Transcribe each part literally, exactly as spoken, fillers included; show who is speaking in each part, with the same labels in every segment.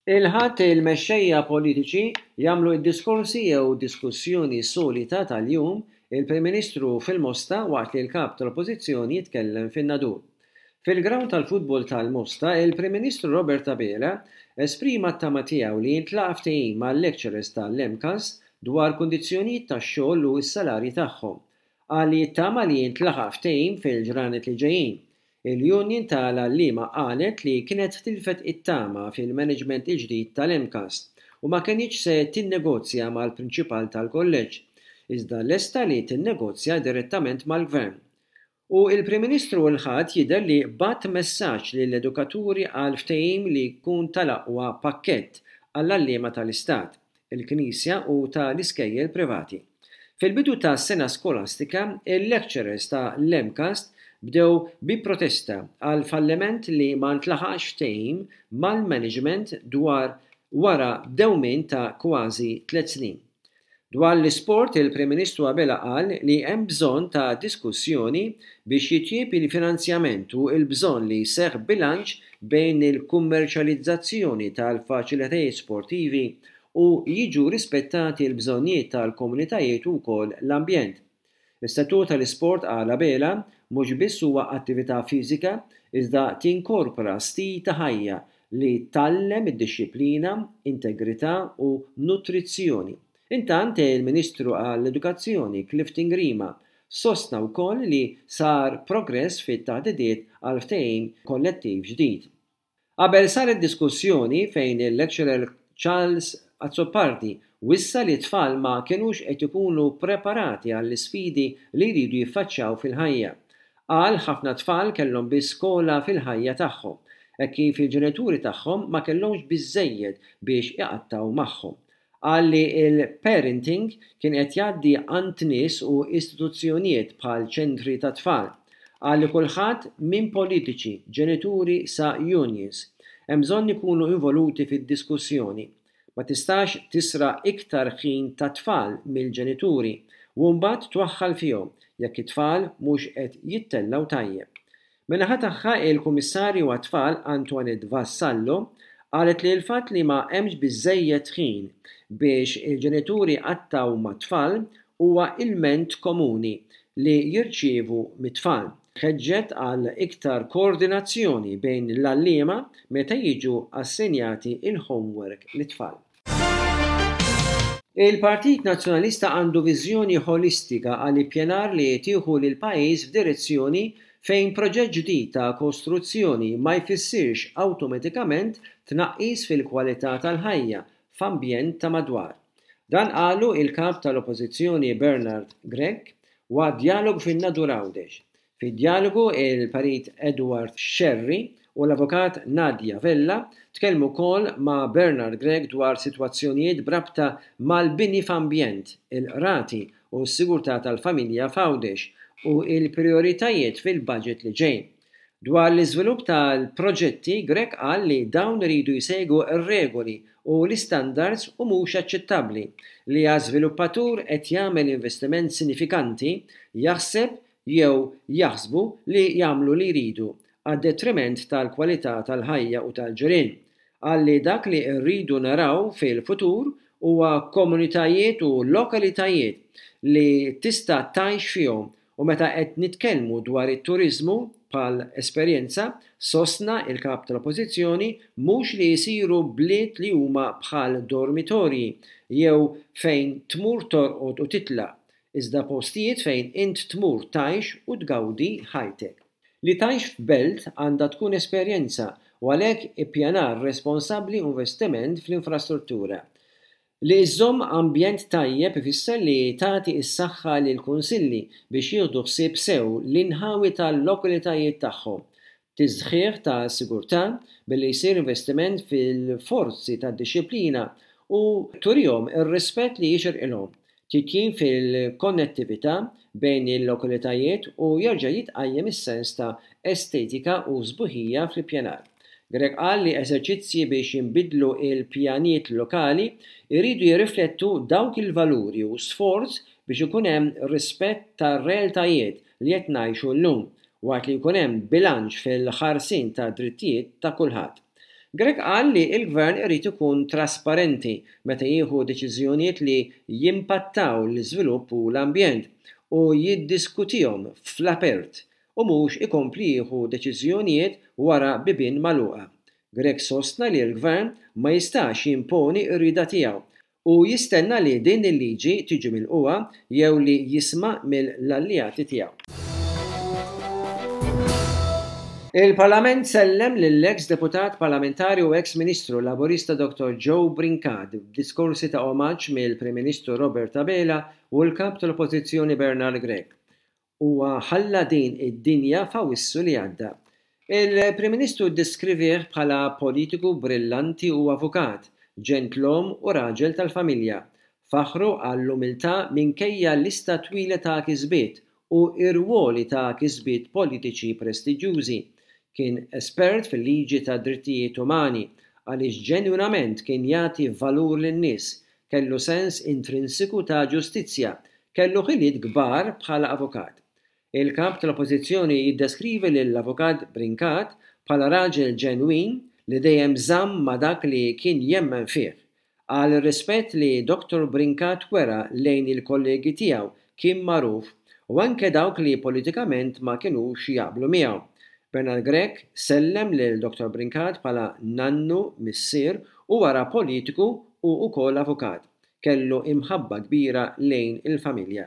Speaker 1: Il-Ħadd il-mexxejja politiċi jagħmlu d-diskorsi jew diskussjoni solita tal-jum, il-Prim Ministru fil-Mosta waqt li l-Kap tal-Oppożizzjoni jitkellem fin-Nadur. Fil-grawnd tal-futbol tal-Mosta, il-Prim Ministru Robert Abela esprima t-tama tiegħu li jintlaqa' ftehim mal-lecturers tal-M C A S dwar kundizzjonijiet tax-xogħol u s-salarji tagħhom. Qal li jittama li jintlaħaq ftehim fil-ġranet li ġejjin. Il-Union tal-Għalliema qalet li kienet tilfet it-tama fil-management il-ġdid tal-M C A S u ma kinitx se tinnegozja mal-prinċipal tal-kolleġġ, iżda lesta li tinnegozja direttament mal-gvern. U il-Prim Ministru l-Ħadd jidher li bagħat messaġġ lill-edukaturi għal ftehim li jkun tal-aqwa pakkett għall-għalliema tal-Istat, il-Knisja u tal-iskejjel privati. Fil-bidu ta' sena skolastika, il-lecturers ta' l-M C A S bdew bi protesta għal falliment li ma ntlaħaqx ftehim mal-management dwar wara dewmien ta' kważi tliet snin. Dwar l-isport, il-Prim Ministru Abela qal li hemm bżonn ta' diskussjoni biex jitjieb il-finanzjament u l-bżonn li jseħħ bilanċ bejn il-kummerċjalizzazzjoni tal-faċilitajiet sportivi u jiġu rispettati l-bżonnijiet tal-komunitajiet u wkoll l-ambjent. Is-settur tal-isport, qal Abela, mhux biss huwa attività fiżika, iżda tinkorpora stil ta' ħajja li tgħallem id-dixxiplina, integrità u nutrizzjoni. Intant, il-Ministru għall-Edukazzjoni Clifton Grima sostna wkoll li sar progress fit-taħdidiet għal ftehim kollettiv ġdid. Qabel saret diskussjoni fejn il-lecturer Charles Azzopardi wissa li tfal ma kienux qed ikunu preparati għall-isfidi li jridu jiffaċċjaw fil-ħajja. Qal ħafna tfal kellhom biss skola fil-ħajja tagħhom, e kif il-ġenituri tagħhom ma kellhomx biżejjed biex iqattaw magħhom. Qal li il-parenting kien qed jgħaddi għand nies u istituzzjonijiet bħal ċentri ta' tfal. Qal li kulħadd minn politiċi, ġenituri sa unions hemm bżonn ikunu involuti fid-diskussjoni. Ma tistax tisraq iktar ħin ta' tfal mill-ġenituri u mbagħad twaħħal fihom jekk it-tfal mhux qed jittellgħu tajjeb. Min-naħa tagħha, il-Kummissarju għat-Tfal Antoinette Vassallo qalet li l-fatt li ma hemmx biżejjed ħin biex il-ġenituri qattaw mat-tfal huwa ilment komuni li jirċievu mit-tfal. Ħeġġet għal iktar koordinazzjoni bejn l-għalliema meta jiġu assenjati il-homework lit-tfal. Il-Partit Nazzjonalista għandu viżjoni ħolistika għal ippjanar li tieħu lil pajjiż f'direzzjoni fejn proġett ġdid ta' kostruzzjoni ma jfissirx awtomatikament tnaqqis fil-kwalità tal-ħajja f'ambjent ta' madwar. Dan qalu il-kap tal-Oppożizzjoni Bernard Grech waqt djalogu fin-Nadur Għawdex. Fid-djalogu, il-Perit Edward Scerri u l-Avukat Nadia Vella tkellmu wkoll ma' Bernard Grech dwar sitwazzjonijiet b'rabta mal-bini f'ambjent, il-qrati u s-sigurtà tal-familja f'Għawdex u il-prioritajiet fil-budget li ġej. Dwar l-iżvilupp tal-proġetti, Grech qal li dawn iridu jsegwu r-regoli u l-istandards u mhux aċċettabbli li għal żviluppatur qed jagħmel investiment sinifikanti jaħseb jew jaħsbu li jagħmlu li jridu għad detriment tal-kwalità tal-ħajja u tal-ġirien. Qal li dak li rridu naraw fil-futur huwa komunitajiet u lokalitajiet li tista' tgħix fihom u meta qed nitkellmu dwar it-turizmu bħal esperjenza, sostna il-kap tal-Oppożizzjoni, mhux li jisiru bliet li huma bħal dormitorji jew fejn tmur torqod u titlaq, iżda postijiet fejn int tmur tgħix u tgawdi ħajtek. Li tgħix f'belt għandha tkun esperjenza u għalhekk ippjanar responsabbli u investiment fl-infrastruttura. Li iżżomm ambjent tajjeb ifisser li tagħti s-saħħa lil kunsilli biex jieħdu ħsieb sew l-inħawi tal-lokalitajiet tagħhom. Tisħiħ ta' sigurtà billi jsir investiment fil-forzi tad-dixxiplina u turihom ir-rispett li jixirqilhom. Titjib fil-konnettività bejn il-lokalitajiet u jerġa' jitqajjem is-sens ta' estetika u sbuħija fl-ippjanar. Grech qal li eżerċizzji biex jinbidlu il-pjanijiet lokali jridu jirriflettu dawk il-valuri u sforz biex ikun hemm rispett tar-realtajiet li qed ngħixu llum, waqt li jkun hemm bilanċ fil-ħarsien ta' drittijiet ta' kulħadd. Grech qal li l-Gvern irid ikun trasparenti meta jieħu deċiżjonijiet li jimpattaw l-iżvilupp u l-ambjent u jiddiskutihom fl-apert u mhux ikompli jieħu deċiżjonijiet wara bibien magħluqa. Grech sostna li l-Gvern ma jistax jimponi r-rieda tiegħu u jistenna li din il-liġi tiġi milqugħa jew li jisma' mill-alleati tiegħu. Il-Parlament sellem lill-eks deputat parlamentari u eks Ministru Laburista Dottor Joe Brincat b'diskorsi ta' omaġġ mill-Prim Ministru Robert Abela u l-Kap tal-Oppożizzjoni Bernard Grech. Huwa ħalla din id-dinja f'Awwissu li għadda. Il-Prim Ministru ddeskrivih bħala politiku brillanti u avukat, ġentlom u raġel tal-familja. Faħru għall-umiltà minkejja lista twila ta' kisbiet u r-rwoli ta' kisbiet politiċi prestiġjużi. Kien espert fil-liġi ta' drittijiet umani għaliex ġenwinament kien jagħti valur lin-nies, kellu sens intrinsiku ta' ġustizzja, kellu ħiliet kbar bħala avukat. Il-kap tal-Oppożizzjoni jiddeskrivi lill-avukat Brincat bħala raġel ġenwin li dejjem żamm ma' dak li kien jemmen fih. Qal ir-rispett li Dottor Brincat wera lejn il-kollegi tiegħu kien magħruf u anke dawk li politikament ma kinux jaqblu miegħu. Bernard Grech sellem lil Dottor Brincat bħala nannu, missier u wara politiku u wkoll avukat. Kellu imħabba kbira lejn il-familja.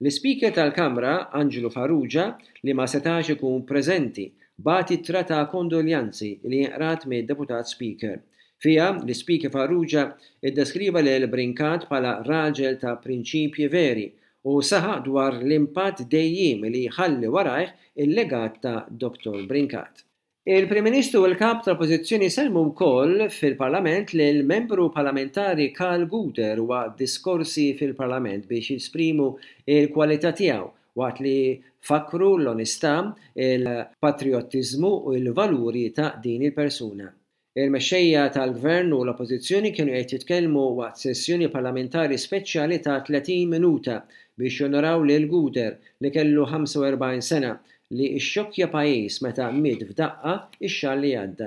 Speaker 1: L-Ispeaker tal-Kamra, Anġlu Farrugia, li ma setax ikun preżenti, bagħat ittra ta' kondoljanzi li inqrat mid-Deputat Speaker. Fiha, l-Ispeaker Farrugia iddeskriva lil Brincat bħala raġel ta' prinċipji veri u saħaq dwar l-impatt dejjiem li ħalli warajh il-legat ta' Dottor Brincat. Il-Prim Ministru u l-Kap tal-Oppożizzjoni sellmu wkoll fil-Parlament lil membru parlamentari Karl Gouder waqt diskorsi fil-Parlament biex jesprimu il-kwalità tiegħu waqt li fakru l-onestà, il-patriottiżmu u l-valuri ta' din il-persuna. Il-mexxejja tal-Gvern u l-Oppożizzjoni kienu qed jitkellmu waqt sessjoni parlamentari speċjali ta' tletin minuta biex jonoraw lil Gouder li kellu ħamsa u erbgħin sena li xxokkja pajjiż meta miet f'daqqa ix-xahar li għadda.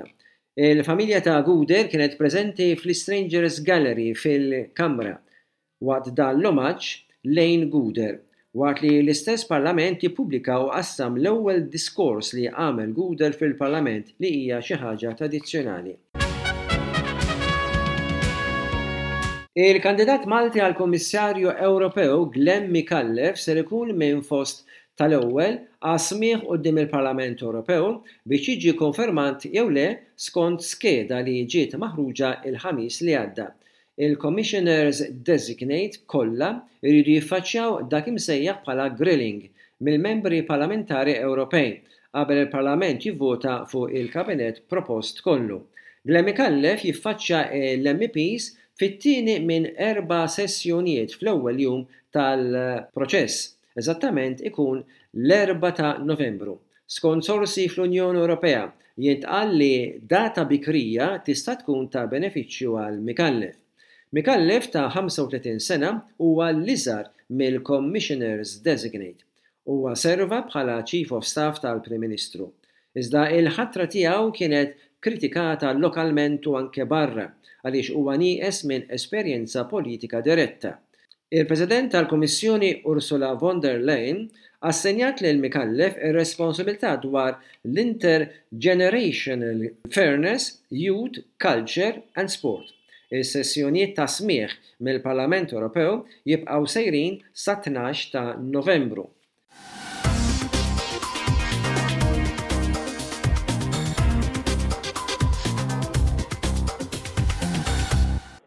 Speaker 1: Il-familja ta' Gouder kienet preżenti fl-Strangers Gallery fil-Kamra waqt dan l-omaġġ lejn Gouder, waqt li l-istess Parlament jippubblika u qassam l-ewwel diskors li għamel Gouder fil-Parlament li hija xi ħaġa tradizzjonali. Il-kandidat Malti għal Kummissarju Ewropew Glenn Micallef ser ikun minn fost tal-ewwel għas-smigħ quddiem il-Parlament Ewropew biex jiġi konfermat jew le skont skeda li ġiet maħruġa il-Ħamis li għadda. Il-Commissioners Designate kollha jridu jiffaċċjaw dak imsejjaħ bħala grilling mill-membri parlamentari Ewropej qabel il-Parlament jivvota fuq il-kabinet propost kollu. Glenn Micallef jiffaċċja l-M E Ps fit-tieni minn erba' sessjonijiet fl-ewwel jum tal-proċess, eżattament ikun l-erbgħa ta' Novembru. Skont sorsi fl-Unjoni Ewropea, jintqal li data bikrija tista' tkun ta' benefiċċju għal Micallef. Micallef ta' ħamsa u tletin sena huwa l-iżgħar mill-Commissioners Designate. Huwa serva bħala Chief of Staff tal-Prim Ministru. Iżda il-ħatra tiegħu kienet kritikata lokalment u anke barra għaliex huwa nieqes minn esperjenza politika diretta. Il-President tal-Kummissjoni Ursula von der Leyen assenjat lil Micallef ir-responsabilità dwar l-Intergenerational Fairness, Youth, Culture and Sport. Is-sessjonijiet ta' smigħ mill-Parlament Ewropew jibqgħu sejrin sa tnax ta' Novembru.